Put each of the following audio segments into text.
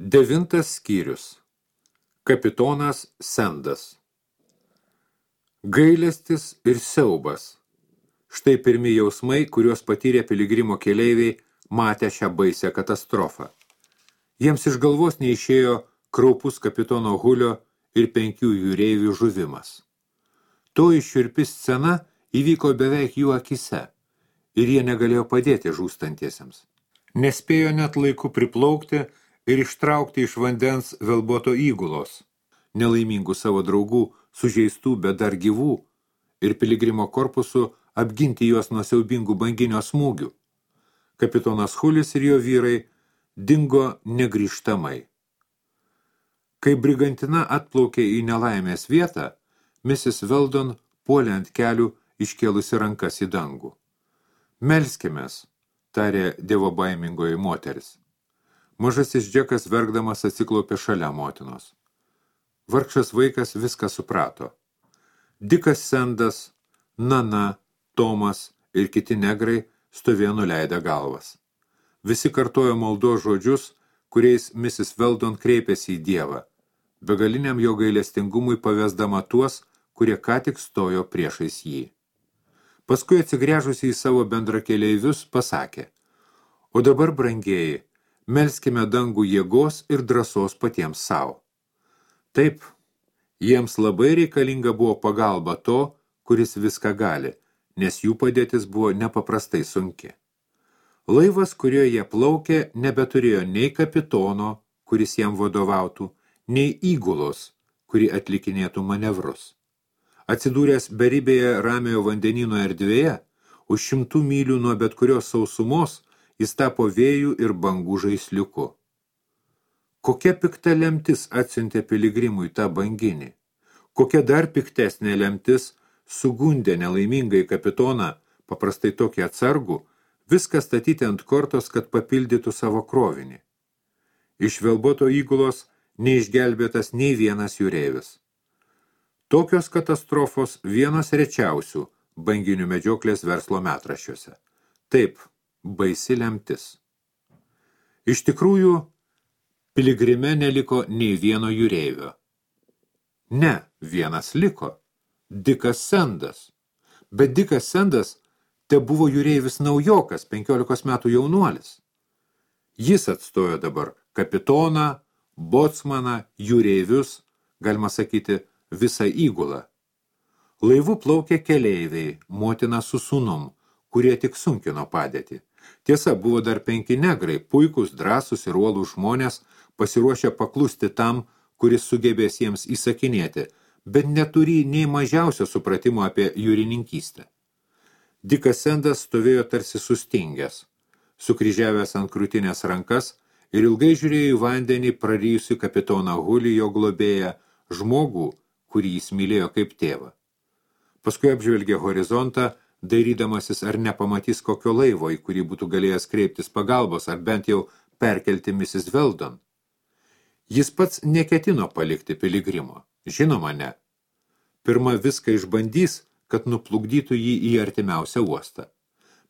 9 skyrius. Kapitonas Sendas. Gailestis ir siaubas. Štai pirmi jausmai, kuriuos patyrė piligrimo keleiviai, matę šią baisią katastrofą. Jiems iš galvos neišėjo kraupus kapitono Hulio ir 5 jūreivių žuvimas. Toji šiurpi scena įvyko beveik jų akise ir jie negalėjo padėti žūstantiesiems. Nespėjo net laiku priplaukti ir ištraukti iš vandens velboto įgulos, nelaimingų savo draugų, sužeistų, bet dar gyvų, ir piligrimo korpusu apginti juos nuo siaubingų banginio smūgių. Kapitonas Hulis ir jo vyrai dingo negrįžtamai. Kai brigantina atplaukė į nelaimės vietą, Mrs. Weldon puolė ant kelių, iškėlusi rankas į dangų. Melskimės, tarė dievobaimingoji moteris. Mažasis Džekas verkdamas atsiklaupė šalia motinos. Vargšas vaikas viską suprato. Dikas Sendas, Nana, Tomas ir kiti negrai stovėjo nuleidę galvas. Visi kartojo maldos žodžius, kuriais Mrs. Weldon kreipėsi į Dievą, begaliniam jo gailestingumui pavesdama tuos, kurie ką tik stojo priešais jį. Paskui atsigręžusi į savo bendrakeleivius pasakė: O dabar, brangieji, melskime dangų jėgos ir drąsos patiems savo. Taip, jiems labai reikalinga buvo pagalba to, kuris viską gali, nes jų padėtis buvo nepaprastai sunki. Laivas, kuriuo jie plaukė, nebeturėjo nei kapitono, kuris jam vadovautų, nei įgulos, kuri atlikinėtų manevrus. Atsidūręs beribėje ramiojo vandenyno erdvėje, už 100 mylių nuo bet kurios sausumos, jis tapo vėjų ir bangų žaisliuku. Kokia pikta lemtis atsiuntė piligrimui tą banginį? Kokia dar piktesnė lemtis sugundė nelaimingai kapitoną, paprastai tokį atsargų, viską statyti ant kortos, kad papildytų savo krovinį. Iš velboto įgulos neišgelbėtas nei vienas jūreivis. Tokios katastrofos vienos rečiausių banginių medžioklės verslo metraščiuose. Taip, baisi lemtis. Iš tikrųjų, piligrime neliko nei vieno jūreivio. Ne, vienas liko. Dikas Sendas. Bet Dikas Sendas te buvo jūreivis naujokas, 15 metų jaunuolis. Jis atstojo dabar kapitoną, botsmaną, jūreivius, galima sakyti, visą įgulą. Laivu plaukė keleiviai, motina su sūnum, kurie tik sunkino padėtį. Tiesa, buvo dar 5 negrai, puikūs, drąsūs ir uolūs žmonės, pasiruošę paklusti tam, kuris sugebės jiems įsakinėti, bet neturi nei mažiausio supratimo apie jūrininkystę. Dikas Sendas stovėjo tarsi sustingęs, sukryžiavęs ant krūtinės rankas ir ilgai žiūrėjo į vandenį prarijusi kapitoną Hulį, jo globėją, žmogų, kurį jis mylėjo kaip tėvą. Paskui apžvelgė horizontą, dairydamasis ar nepamatys kokio laivo, į kurį būtų galėjęs kreiptis pagalbos, ar bent jau perkelti Mrs. Weldon. Jis pats neketino palikti piligrimo. Žinoma, ne. Pirma viską išbandys, kad nuplukdytų jį į artimiausią uostą.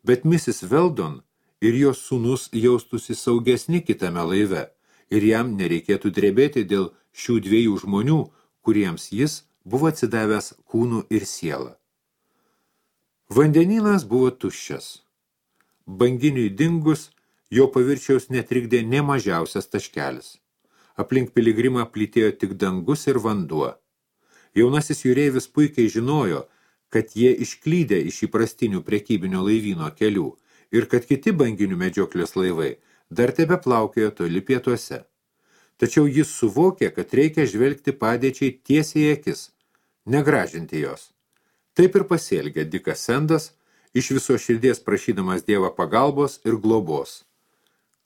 Bet Mrs. Weldon ir jos sūnus jaustųsi saugesni kitame laive, ir jam nereikėtų drebėti dėl šių 2 žmonių, kuriems jis buvo atsidavęs kūnu ir sielą. Vandenynas buvo tuščias. Banginiui dingus, jo paviršiaus netrikdė nė mažiausias taškelis. Aplink piligrimą plytėjo tik dangus ir vanduo. Jaunasis jūreivis puikiai žinojo, kad jie išklydę iš įprastinių prekybinio laivyno kelių ir kad kiti banginių medžioklės laivai dar tebe plaukiojo toli pietuose. Tačiau jis suvokė, kad reikia žvelgti padėčiai tiesiai į akis, negražinti jos. Taip ir pasielgė Dikas Sendas, iš viso širdies prašydamas Dievą pagalbos ir globos.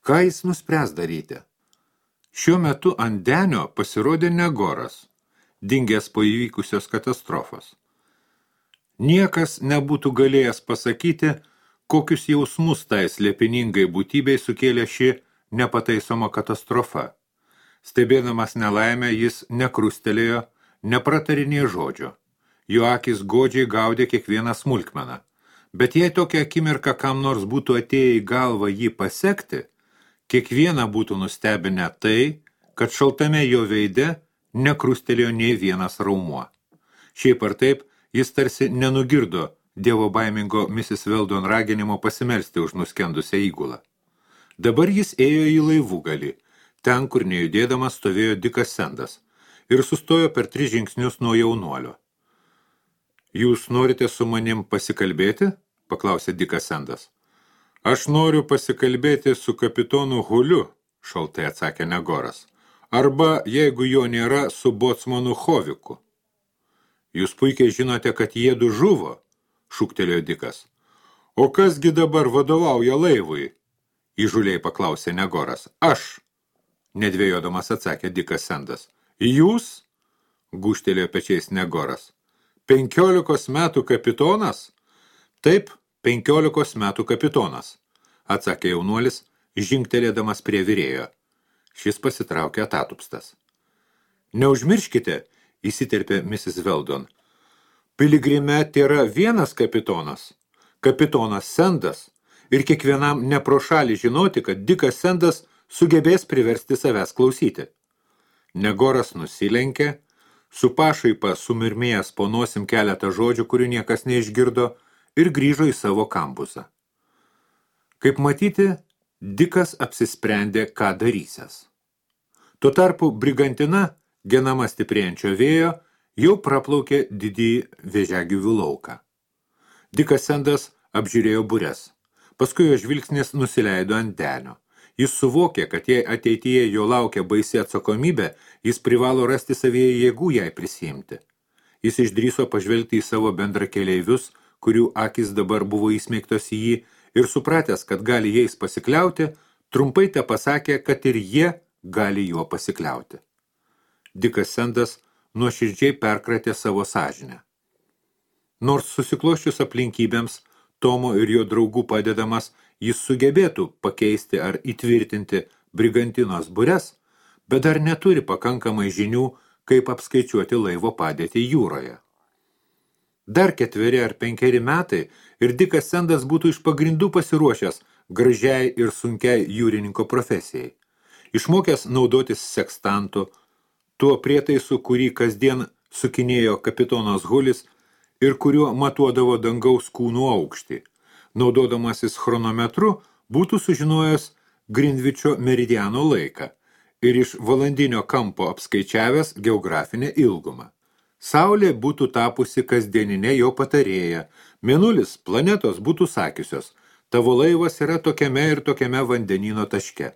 Ką jis nuspręs daryti? Šiuo metu ant denio pasirodė Negoras, dingęs po įvykusios katastrofos. Niekas nebūtų galėjęs pasakyti, kokius jausmus tai slėpiningai būtybei sukėlė ši nepataisoma katastrofa. Stebėdamas nelaimę, jis nekrustelėjo, nepratarinė žodžio. Jo akis godžiai gaudė kiekvieną smulkmeną. Bet jei tokią akimirką kam nors būtų atėję į galvą jį pasekti, kiekvieną būtų nustebinę tai, kad šaltame jo veide nekrustelėjo nei vienas raumuo. Šiaip ar taip, jis tarsi nenugirdo dievo baimingo Mrs. Weldon raginimo pasimelsti už nuskendusią įgulą. Dabar jis ėjo į laivugalį, ten, kur nejudėdamas stovėjo Dikas Sendas, ir sustojo per 3 žingsnius nuo jaunuolio. Jūs norite su manim pasikalbėti? Paklausė Dikas Sendas. Aš noriu pasikalbėti su kapitonu Huliu, šaltai atsakė Negoras. Arba, jeigu jo nėra, su bocmanu Hoviku. Jūs puikiai žinote, kad jiedu žuvo, šūktelėjo Dikas. O kasgi dabar vadovauja laivui? Įžuliai paklausė Negoras. Aš, nedvėjodamas atsakė Dikas Sendas. Jūs? Gūžtelėjo pečiais Negoras. 15 metų kapitonas? Taip, 15 metų kapitonas, atsakė jaunuolis, žingtelėdamas prie virėjo. Šis pasitraukė atatupstas. Neužmirškite, įsiterpė Mrs. Weldon. Piligrime tėra vienas kapitonas, kapitonas Sendas, ir kiekvienam ne pro šalį žinoti, kad Dikas Sendas sugebės priversti savęs klausyti. Negoras nusilenkė, su pašaipa sumirmėjęs po nosim keletą žodžių, kurių niekas neišgirdo, ir grįžo į savo kampusą. Kaip matyti, Dikas apsisprendė, ką darysęs. Tuo tarpu brigantina, genama stiprėjančio vėjo, jau praplaukė didįjį vėžiagyvių lauką. Dikas Sendas apžiūrėjo bures. Paskui jo žvilgsnis nusileido ant denio. Jis suvokė, kad jei ateityje jo laukia baisi atsakomybė, jis privalo rasti savyje jėgų jai prisiimti. Jis išdrįso pažvelgti į savo bendrakeleivius, kurių akis dabar buvo įsmeigtos į jį, ir supratęs, kad gali jais pasikliauti, trumpai te pasakė, kad ir jie gali juo pasikliauti. Dikas Sendas nuoširdžiai perkratė savo sąžinę. Nors susikloščius aplinkybėms, Tomo ir jo draugų padedamas, jis sugebėtų pakeisti ar įtvirtinti brigantinos bures, bet dar neturi pakankamai žinių, kaip apskaičiuoti laivo padėtį jūroje. Dar 4 ar 5 metai ir Dikas Sendas būtų iš pagrindų pasiruošęs gražiai ir sunkiai jūrininko profesijai. Išmokęs naudotis sekstantu, tuo prietaisu, kurį kasdien sukinėjo kapitonas Hulis ir kuriuo matuodavo dangaus kūnų aukštį. Naudodamasis chronometru, būtų sužinojęs Grindvičio meridiano laiką ir iš valandinio kampo apskaičiavęs geografinę ilgumą. Saulė būtų tapusi kasdieninė jo patarėja, mėnulis planetos būtų sakiusios, tavo laivas yra tokiame ir tokiame vandenyno taške.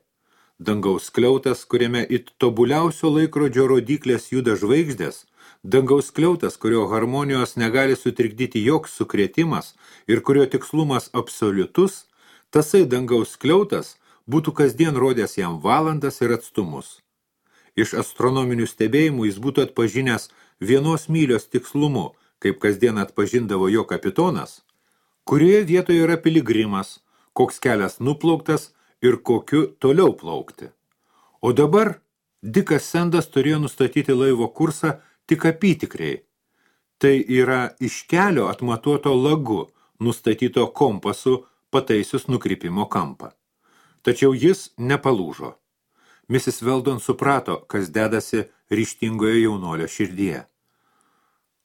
Dangaus skliautas, kuriame it tobuliausio laikrodžio rodyklės juda žvaigždės, dangaus skliautas, kurio harmonijos negali sutrikdyti joks sukrėtimas ir kurio tikslumas absoliutus, tasai dangaus skliautas būtų kasdien rodęs jam valandas ir atstumus. Iš astronominių stebėjimų jis būtų atpažinęs 1 mylios tikslumu, kaip kasdien atpažindavo jo kapitonas, kurioje vietoje yra piligrimas, koks kelias nuplauktas ir kokiu toliau plaukti. O dabar Dikas Sendas turėjo nustatyti laivo kursą tik apytikriai. Tai yra iš kelio atmatuoto lagu, nustatyto kompasu pataisius nukrypimo kampą. Tačiau jis nepalūžo. Mrs. Weldon suprato, kas dedasi ryžtingoje jaunuolio širdyje.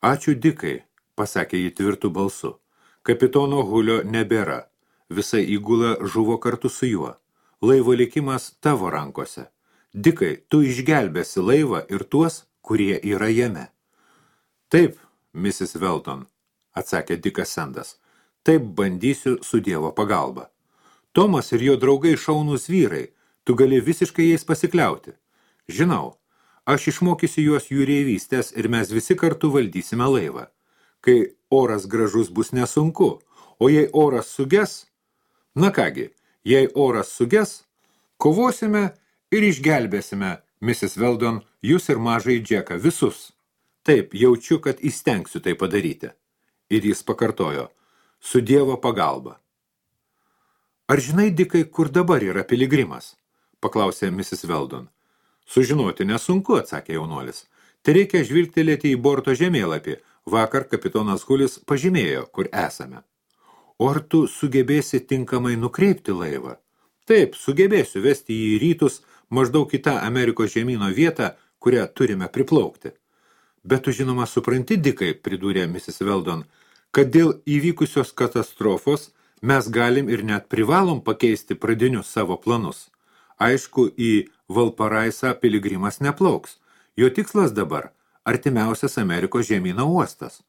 Ačiū Dikai, pasakė ji tvirtu balsu. Kapitono Hulio nebėra. Visa įgula žuvo kartu su juo. Laivo likimas tavo rankose. Dikai, tu išgelbėsi laivą ir tuos, kurie yra jame. Taip, Mrs. Weldon, atsakė Dikas Sendas. Taip bandysiu su Dievo pagalba. Tomas ir jo draugai šaunūs vyrai, tu gali visiškai jais pasikliauti. Žinau, aš išmokysiu juos jūreivystės ir mes visi kartu valdysime laivą. Kai oras gražus bus nesunku, o jei oras suges, na kągi, jei oras suges, kovosime ir išgelbėsime, Mrs. Weldon, jūs ir mažai Džeką, visus. Taip, jaučiu, kad įstengsiu tai padaryti. Ir jis pakartojo, su Dievo pagalba. Ar žinai, Dikai, kur dabar yra piligrimas? Paklausė Mrs. Weldon. Sužinoti nesunku, atsakė jaunuolis. Tai reikia žvilgtelėti į borto žemėlapį. Vakar kapitonas Hulis pažymėjo, kur esame. O ar tu sugebėsi tinkamai nukreipti laivą? Taip, sugebėsiu vesti jį į rytus, maždaug į tą Amerikos žemyno vietą, kurią turime priplaukti. Bet tu žinoma supranti, Dikai, pridūrė Mrs. Weldon, kad dėl įvykusios katastrofos mes galim ir net privalom pakeisti pradinius savo planus. Aišku, į Valparaisą piligrimas neplauks. Jo tikslas dabar – artimiausias Amerikos žemyno uostas.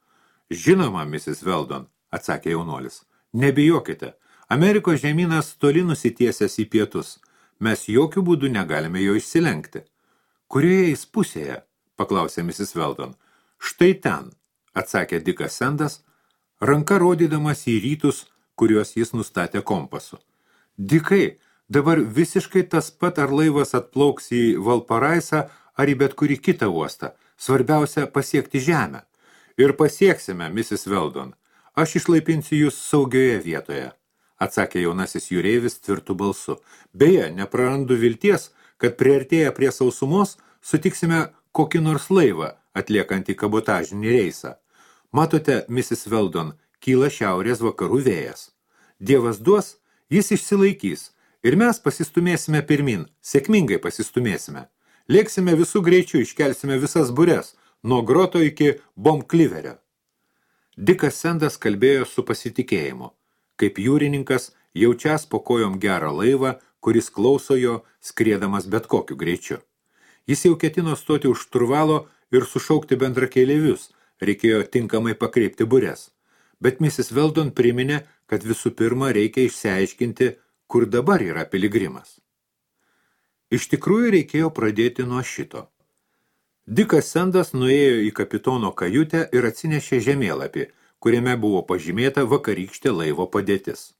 Žinoma, Mrs. Weldon, atsakė jaunuolis. Nebijokite, Amerikos žemynas toli nusitiesęs į pietus. Mes jokių būdų negalime jo išsilenkti. Kurioje jis pusėje? Paklausė Mrs. Weldon. Štai ten, atsakė Dikas Sendas, ranka rodydamas į rytus, kuriuos jis nustatė kompasu. Dikai, dabar visiškai tas pat, ar laivas atplauks į Valparaisą, ar į bet kurį kitą uostą. Svarbiausia pasiekti žemę. Ir pasieksime, Mrs. Weldon. Aš išlaipinsiu jūs saugioje vietoje, atsakė jaunasis jūreivis tvirtu balsu. Beje, neprarandu vilties, kad priartėję prie sausumos sutiksime kokį nors laivą, atliekantį kabotažinį reisą. Matote, Mrs. Weldon, kyla šiaurės vakarų vėjas. Dievas duos, jis išsilaikys, ir mes pasistumėsime pirmin, sėkmingai pasistumėsime. Lėksime visų greičių, iškelsime visas bures, nuo Groto iki Bombkliverio. Dikas Sendas kalbėjo su pasitikėjimu, kaip jūrininkas jaučias po kojom gerą laivą, kuris klauso jo, skriedamas bet kokiu greičiu. Jis jau ketino stoti už šturvalo ir sušaukti bendrakeleivius, reikėjo tinkamai pakreipti bures. Bet Mrs. Weldon priminė, kad visų pirma reikia išsiaiškinti, kur dabar yra piligrimas. Iš tikrųjų reikėjo pradėti nuo šito. Dikas Sendas nuėjo į kapitono kajutę ir atsinešė žemėlapį, kuriame buvo pažymėta vakarykštė laivo padėtis.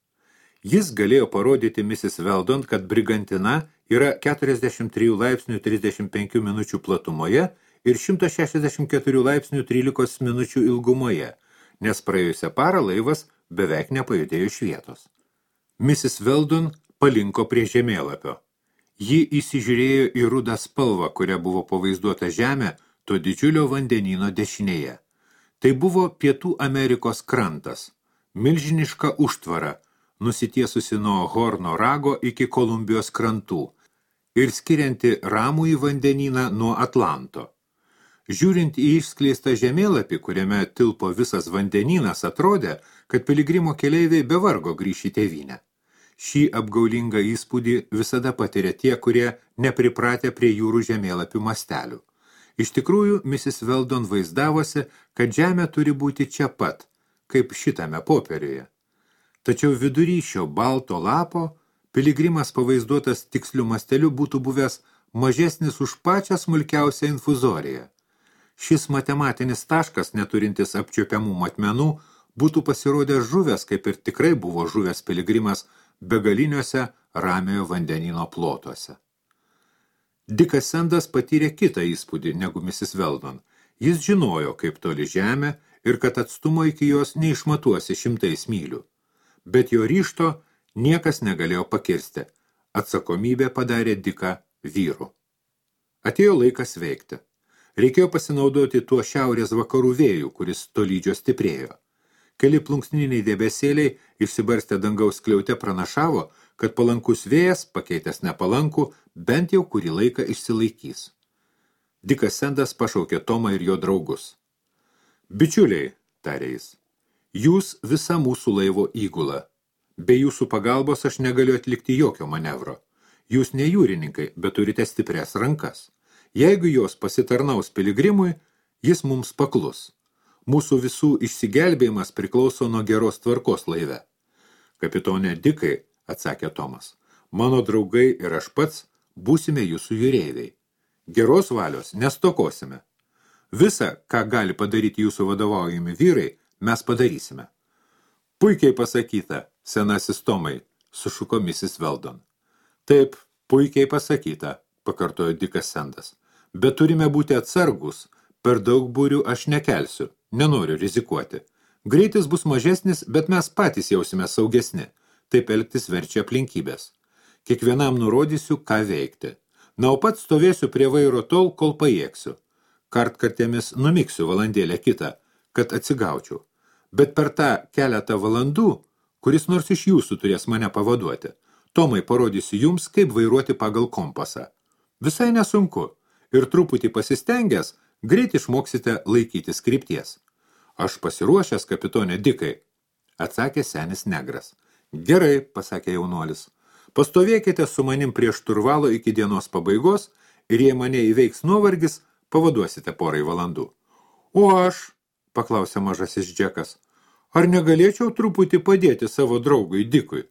Jis galėjo parodyti Mrs. Weldon, kad brigantina yra 43 laipsnių 35 minučių platumoje ir 164 laipsnių 13 minučių ilgumoje, nes praėjusią parą laivas beveik nepajudėjo iš vietos. Mrs. Weldon palinko prie žemėlapio. Ji įsižiūrėjo į rudą spalvą, kuria buvo pavaizduota žemė, to didžiulio vandenyno dešinėje. Tai buvo Pietų Amerikos krantas, milžiniška užtvara, nusitiesusi nuo Horno rago iki Kolumbijos krantų ir skirianti ramųjį vandenyną nuo Atlanto. Žiūrint į išskleistą žemėlapį, kuriame tilpo visas vandenynas, atrodė, kad piligrimo keleiviai be vargo grįš į tėvynę. Šį apgaulingą įspūdį visada patiria tie, kurie nepripratę prie jūrų žemėlapių mastelių. Iš tikrųjų, Mrs. Weldon vaizdavosi, kad žemė turi būti čia pat, kaip šitame popieriuje. Tačiau vidury šio balto lapo piligrimas pavaizduotas tiksliu masteliu būtų buvęs mažesnis už pačią smulkiausią infuzoriją. Šis matematinis taškas, neturintis apčiuopiamų matmenų, būtų pasirodęs žuvęs, kaip ir tikrai buvo žuvęs piligrimas begaliniuose ramiojo vandenino plotuose. Dikas Sendas patyrė kitą įspūdį negu Mrs. Weldon. Jis žinojo, kaip toli žemė ir kad atstumo iki jos neišmatuosi 100 mylių. Bet jo ryžto niekas negalėjo pakirsti. Atsakomybė padarė Diką vyru. Atėjo laikas veikti. Reikėjo pasinaudoti tuo šiaurės vakarų vėjų, kuris tolydžio stiprėjo. Keli plunksniniai debesėliai išsibarstę dangaus skliaute pranašavo, kad palankus vėjas, pakeitęs nepalankų, bent jau kurį laiką išsilaikys. Dikas Sendas pašaukė Tomą ir jo draugus. Bičiuliai, tarė jis, jūs visa mūsų laivo įgula. Be jūsų pagalbos aš negaliu atlikti jokio manevro. Jūs ne jūrininkai, bet turite stiprias rankas. Jeigu jos pasitarnaus piligrimui, jis mums paklus. Mūsų visų išsigelbėjimas priklauso nuo geros tvarkos laive. Kapitonė Dikai, atsakė Tomas, mano draugai ir aš pats būsime jūsų jūreiviai. Geros valios nestokosime. Visa, ką gali padaryti jūsų vadovaujami vyrai, mes padarysime. Puikiai pasakyta, senasis Tomai, sušuko Mrs. Weldon. Taip, puikiai pasakyta, pakartojo Dikas Sendas. Bet turime būti atsargus, per daug būrių aš nekelsiu, nenoriu rizikuoti. Greitis bus mažesnis, bet mes patys jausime saugesni. Taip elgtis verčia aplinkybės. Kiekvienam nurodysiu, ką veikti. Na, o pats stovėsiu prie vairo tol, kol pajėgsiu. Kartkartėmis numiksiu valandėlę kitą, kad atsigaučiau. Bet per tą keletą valandų, kuris nors iš jūsų turės mane pavaduoti, Tomai parodysiu jums, kaip vairuoti pagal kompasą. Visai nesunku ir truputį pasistengęs, greit išmoksite laikytis krypties. Aš pasiruošęs, kapitonė Dikai, atsakė senis negras. Gerai, pasakė jaunuolis. Pastovėkite su manim prie šturvalo iki dienos pabaigos ir jei mane įveiks nuovargis, pavaduosite porai valandų. O aš, paklausė mažasis Džekas, ar negalėčiau truputį padėti savo draugui Dikui?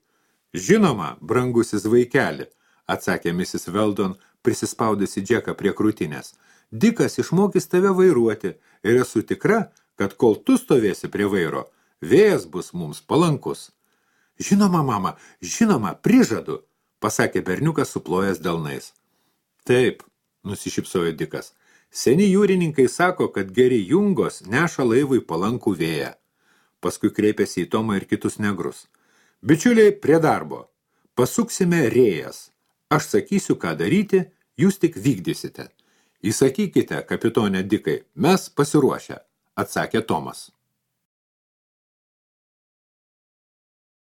Žinoma, brangusis vaikeli, atsakė Mrs. Weldon, prisispaudusi Džeką prie krūtinės. Dikas išmokys tave vairuoti ir esu tikra, kad kol tu stovėsi prie vairo, vėjas bus mums palankus. Žinoma, mama, žinoma, prižadu, pasakė berniukas suplojęs delnais. Taip, nusišypsojo Dikas. Seni jūrininkai sako, kad geri jungos neša laivui palankų vėją. Paskui kreipėsi į Tomą ir kitus negrus. Bičiuliai, prie darbo. Pasuksime rėjas. Aš sakysiu, ką daryti, jūs tik vykdysite. Įsakykite, kapitonė Dikai, mes pasiruošę, atsakė Tomas.